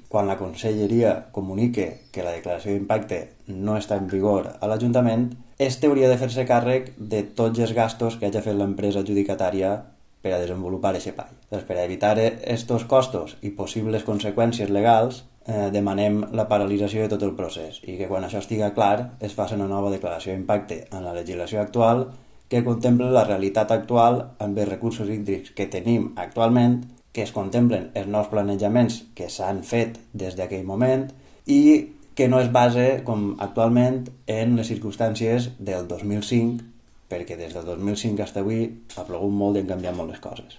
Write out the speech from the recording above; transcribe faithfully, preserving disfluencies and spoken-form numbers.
quan la conselleria comunique que la declaració d'impacte no està en vigor a l'Ajuntament, este hauria de fer-se càrrec de tots els gastos que hagi fet l'empresa adjudicatària per a desenvolupar aquest espai. Doncs per a evitar aquests costos i possibles conseqüències legals, eh, demanem la paralització de tot el procés i que quan això estiga clar es faci una nova declaració d'impacte en la legislació actual que contemple la realitat actual amb els recursos hídrics que tenim actualment, que es contemplen els nous planejaments que s'han fet des d'aquell moment i que no es base, com actualment, en les circumstàncies del dos mil cinc, perquè des del dos mil cinc fins avui ha plogut molt i han canviat molt les coses.